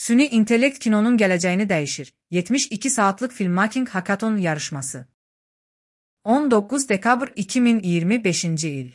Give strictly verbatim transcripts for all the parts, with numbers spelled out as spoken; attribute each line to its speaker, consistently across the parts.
Speaker 1: Süni intellekt kinonun gələcəyini dəyişir. yetmiş iki saatlıq filmmaking hackathon yarışması. on doqquz dekabr iki min iyirmi beşinci il.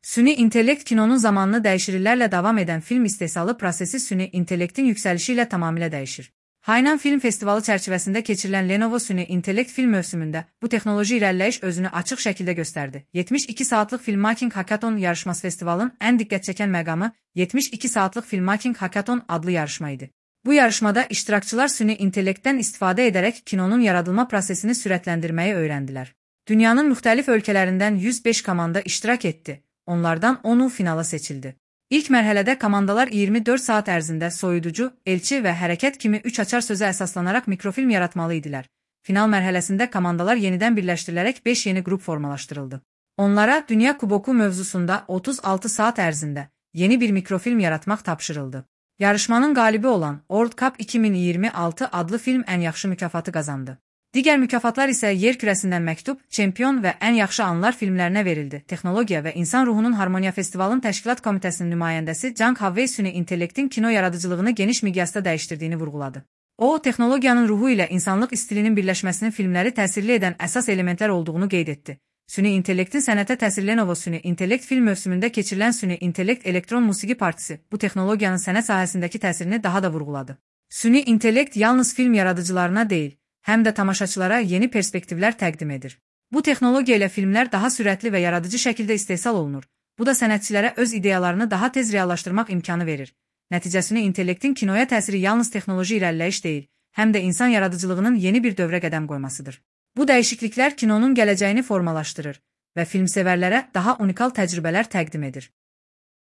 Speaker 1: Süni intellekt kinonun zamanını dəyişirillərlə davam edən film istehsalı prosesi süni intellektin yüksəlişi ilə tamamilə dəyişir. Hainan Film Festivalı çərçivəsində keçirilən Lenovo Süni intellekt film mövsümündə bu texnoloji irəliləyiş özünü açıq şəkildə göstərdi. yetmiş iki saatlıq filmmaking hackathon yarışması festivalın ən diqqət çəkən məqamı yetmiş iki saatlıq filmmaking hackathon adlı yarışma idi. Bu yarışmada iştirakçılar süni intellektdən istifadə edərək kinonun yaradılma prosesini sürətləndirməyi öyrəndilər. Dünyanın müxtəlif ölkələrindən yüz beş komanda iştirak etdi. Onlardan onu finala seçildi. İlk mərhələdə komandalar iyirmi dörd saat ərzində soyuducu, elçi və hərəkət kimi üç açar sözə əsaslanaraq mikrofilm yaratmalı idilər. Final mərhələsində komandalar yenidən birləşdirilərək beş yeni qrup formalaşdırıldı. Onlara Dünya Kuboku mövzusunda otuz altı saat ərzində yeni bir mikrofilm yaratmaq tapşırıldı. Yarışmanın qalibi olan World Cup iki min iyirmi altı adlı film ən yaxşı mükafatı qazandı. Digər mükafatlar isə yer kürəsindən məktub, çempion və ən yaxşı anlar filmlərinə verildi. Texnologiya və İnsan Ruhunun Harmoniya Festivalın təşkilat komitəsinin nümayəndəsi Zhang Haowei süni intellektin kino yaradıcılığını geniş miqyasda dəyişdirdiyini vurğuladı. O, texnologiyanın ruhu ilə insanlıq stilinin birləşməsinin filmləri təsirli edən əsas elementlər olduğunu qeyd etdi. Süni intellektin sənətə təsiri Lenovo Süni intellekt film mövsümündə keçirilən süni intellekt elektron musiqi partisi bu texnologiyanın sənət sahəsindəki təsirini daha da vurğuladı. Süni intellekt yalnız film yaradıcılarına deyil, həm də tamaşaçılara yeni perspektivlər təqdim edir. Bu texnologiya ilə filmlər daha sürətli və yaradıcı şəkildə istehsal olunur. Bu da sənətçilərə öz ideyalarını daha tez reallaşdırmaq imkanı verir. Nəticəsini intellektin kinoya təsiri yalnız texnoloji irəliləyiş deyil, həm də insan yaradıcılığının yeni bir dövrə qədəm qoymasıdır. Bu dəyişikliklər kinonun gələcəyini formalaşdırır və filmsevərlərə daha unikal təcrübələr təqdim edir.